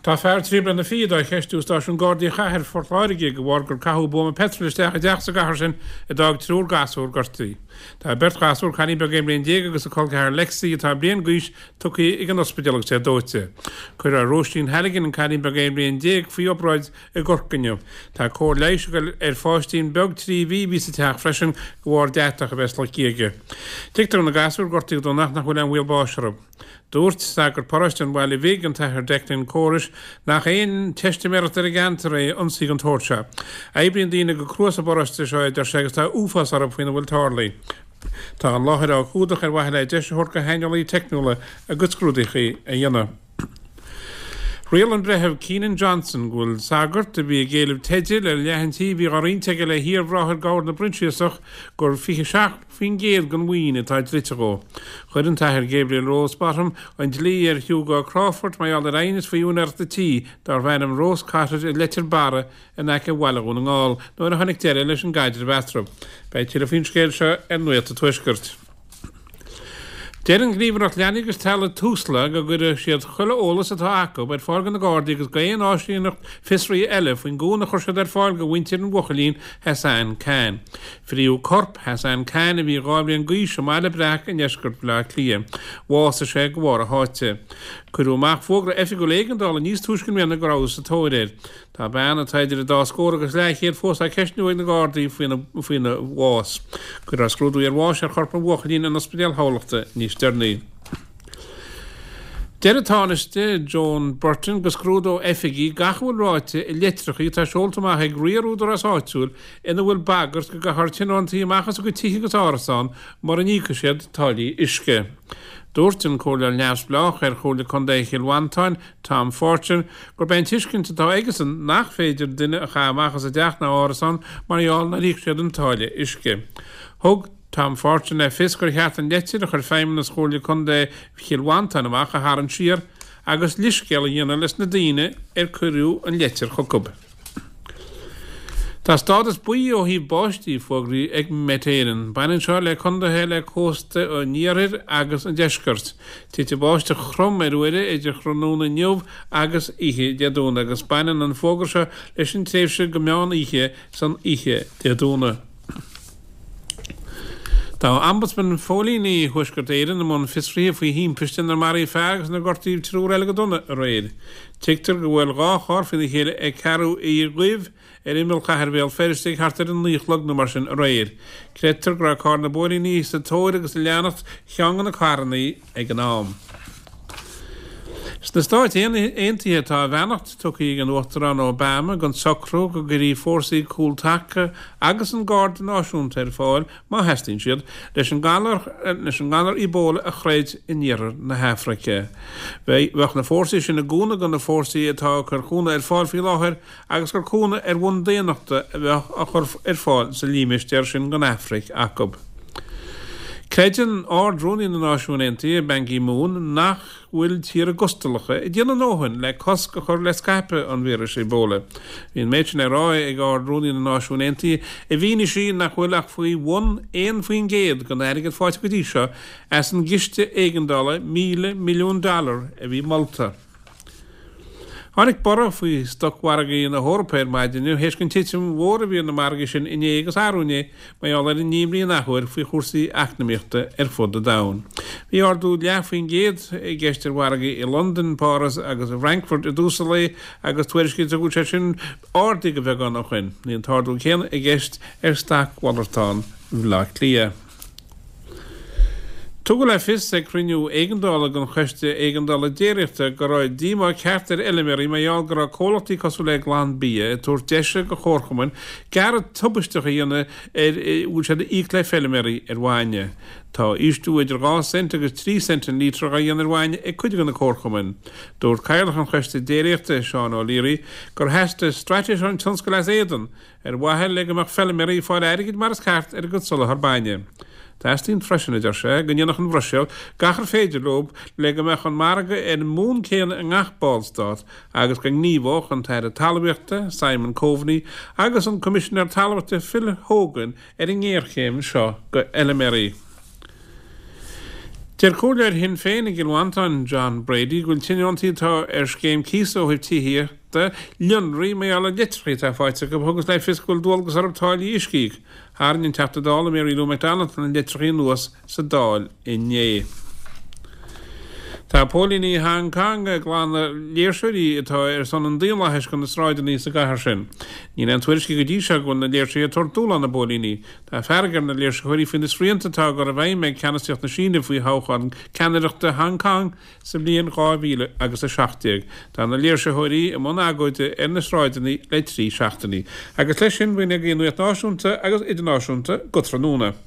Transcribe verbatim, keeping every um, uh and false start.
Tá fear trí bliana fichead á cheistiú i stáisiún Gardaí Chathair Phort Láirge de bharr gur caitheadh buama peitril isteach i dteach sa gcathair sin a d'fhág triúr gasúr gortaithe. Tá beirt ghasúr, cailín beag aon bhliain déag agus a col ceathar Lexi atá bliain d'aois, tugtha ag an ospidéal agus é dóite. Cuireadh Róisín Halligan, an cailín beag aon bhliain déag, faoi obráid i gCorcaigh inniu. Tá cóir leighis ag dul ar pháistín beag trí mhí a bhí sa teach freisin de bharr deatach a bheith sloicthe aige. Tuigtear do na gasúir a gortaíodh go dona ach nach bhfuil aon bhaol báis orthu. Dúirt sagart paróiste an Bhaile Bhig, an tAthair Declan Corish, nach aon teistiméireacht ar an gceantar é ionsaí den tsórt seo. Oibríonn daoine go crua sa bparóiste seo, a deir sé, agus tá uafás orthu faoina bhfuil tarlaithe. Tá an láthair á cumhdach ar mhaithe le deis a thabhairt do shaineolaithe teicniúla a gcuid scrúduithe a dhéanamh. Rialaigh an Breitheamh Keenan Johnson go bhfuil sagart a bhí ag éileamh teidil ar leath an tí a bhí á roinnt aige le hiar-bhráthair Gabhair na bProinsiasach gur fiche seacht faoin gcéad den mhaoin atá dlite dhó. Chuir an tAthair Gabriel Rosbottom an dlí ar Hugo Crawford mar gheall ar aighneas faoi úinéireacht an tí darbh ainm Rose Cottage i Leitir Barra in aice Bhaile Dhún na nGall nuair a tháinig deireadh leis an gcaidreamh eatarthu. Beidh tuilleadh faoin scéal seo ar Nuacht an Tuaiscirt. Deir an Ghníomhaireacht Leanaí agus Teaghlaigh Tusla go gcuirfidh siad chuile eolas atá acu ar fáil do na Gardaí agus d'aon áisíneacht fiosraithe eile faoin gcúnamh a chuir siad ar fáil do mhuintir an bhuachaillín Hassan Khan. Fríodh corp Hassan Khan a bhí dhá bhliain d'aois i mBaile Breac i ndeisceart Bhaile Átha Cliath. Bhásaigh sé de bharr a sháite. Cuireadh amach fógra oifigiúil éigeandála níos túisce i mbliana go rabhthas sa tóir air. Tá bean atá idir an dá scór agus leathchéad fós á ceistniú ag na Gardaí faoina faoina bhás. Cuirfear scrúdú iarbháis ar chorp an bhuachaillín in Ospidéal Thamhlachta níos deireanaí. Deir an Tánaiste Joan Burton go scrúdóidh oifigigh gach a bhfuil ráite i litreacha atá seolta amach ag riar údarás áitiúil ina bhfuil bagairt go gcaithfear tionóntaí amach as a gcuid tithe agus árasán mura n-íocfaidh siad táillí uisce. Dúirt an Comhairleoir Neamhspleách ar Chomhairle Contae Chill Mhantáin, Tom Fortune, gurb é an tuiscint atá aigesan nach féidir duine a chaitheamh amach as a dteach ná árasán mar gheall nár íoc siad an táille uisce. Thug Tom Fortune le fios gur cheart an leitir a chuir Feidhmeannas Chomhairle Contae Chill Mhantáin amach a tharraingt siar agus leithscéal a dhéanamh leis na daoine ar cuireadh an leitir chucu. Tá stádas buí ó thaobh báistí fógraithe ag Met Éireann. Baineann seo le contaetha le cósta an iarthair agus an deiscirt. Titfidh báisteach throm ar uaire idir thráthnóna inniu agus oíche Dé Domhnaigh agus baineann an fógra seo leis an tréimhse go meán oíche san oíche Dé Domhnaigh. Tá Ombudsman Phóilíní Thuaisceart Éireann i mbun fiosraithe faoi thimpiste inar maraíodh fear agus inar gortaíodh triúr eile go dona aréir. Tuigtear gur bhuail dhá charr faoina chéile ag Ceathrú Uí Dhuibh ar imeall chathair Bhéal Feirste ag thart ar a naoi a chlog nó mar sin aréir. Creidtear go raibh carr na bpóilíní sa tóir agus ag leanacht cheann de na carranna ag an am. Sna Stáit Aontaithe tá a bheannacht tugtha ag an Uachtarán Obama don socrú go gcuirfí fórsaí cúltaca agus an Garda Náisiúnta ar fáil, má theastaíonn siad, leis an ngalar leis an ngalar Ebola a throid in iarthar na hAfraice. Bheadh na fórsaí sin i gcúnamh do na fórsaí atá ag cur cúnamh ar fáil faoi láthair agus gur cúnamh ar bhonn daonnachta a bheadh á chur ar fáil sa límistéar sin den Afraic acu. Creideann Ard-Rúnaí na Náisiún Aontaithe, Ban Ki-moon, nach bhfuil tíortha gustalacha ag déanamh a ndóthain le cosc a chur le scaipeadh an víris Ebola. Bhí an méid sin le rá ag Ard-Rúnaí na Náisiún Aontaithe i bhfianaise nach bhfuil ach faoi bhun aon faoin gcéad den airgead faighte go dtí seo as an gciste éigeandála míle milliún dollar a bhí molta. Tháinig borradh faoi stocmhargaí na hEorpa ar maidin inniu théis an titim mhór a bhí ar na margaí sin inné agus arú inné mar gheall ar an imní an athuair faoi chúrsaí eacnamaíochta ar fud an domhain. Bhí ardú leath faoin gcéad i gceist ar mhargaí i Londain, Páras agus i bhFrankfurt i dtús an lae agus tuairiscítear go bhfuil sé sin ardaithe de bheagán ó shin. Níl an t-ardú céanna i gceist ar stocmhalartán Bhaile Átha Cliath. Tugadh le fios ag cruinniú éigeandála den Choiste Éigeandála Déiríochta go raibh díomá ceart ar fheilméaraí mar gheall go raibh comhlachtaí cosúil le Glanbia ag tabhairt deise do chomharchumainn gearradh tubaisteach a dhéanamh ar a bhfuil siad a íoc le feilméaraí ar bhainne. Tá ísliú idir dhá cent agus trí cent an lítre á dhéanamh ar bhainne ag cuid de na comharchumainn. Dúirt Cathaoirleach an Choiste Déiríochta, Seán O'Leary, gur theastaigh straitéis ón tionscal as éadan ar mhaithe le go mbeadh feilméaraí ag fáil airgid mar is ceart ar a gcuid soláthar bainne. Teastaíonn freisin, a deir sé, go ndéanfadh an Bhruiséil gach ar féidir leo le go mbeadh an margadh ar an mbonn céanna i ngach ballstát agus go ngníomhódh an tAire Talmhaíochta, Simon Coveney, agus an Coimisinéir Talmhaíochta Phil Hogan ar an ngéarchéim seo do fheilméaraí. Deir Comhairleoir Shinn Féin i gCill Mhantáin, John Brady, go bhfuil tionóntaí atá ar scéim cíosa ó thaobh tithíochta lonraithe mar gheall ar leitreacha atá faighte acu a thugas le fios go bhfuil dualgas orthu táillí uisce a íoc. Tharraing an Teachta Dála Mary Lou McDonald na litreacha anuas sa Dáil inné. Tá póilíní Hong Kong ag glanadh léirseoirí atá ar son an daonlathais de na sráideanna sa gcathair sin. Níl aon tuairiscí go dtí seo go bhfuil na léirseoirí ag tabhairt dúshlán na bpóilíní. Tá fearg ar na léirsitheoirí faoi na srianta atá á gcur i bhfeidhm ag ceannasaíocht na Síne faoi thoghchán ceannaireachta Hong Kong sa bhliain dhá mhíle agus a seacht déag. Tá na léirsitheoirí i mbun agóide ar na sráideanna le trí seachtainí. Agus leis sin, b'in agaibh an nuacht náisiúnta agus idirnáisiúnta go tráthnóna.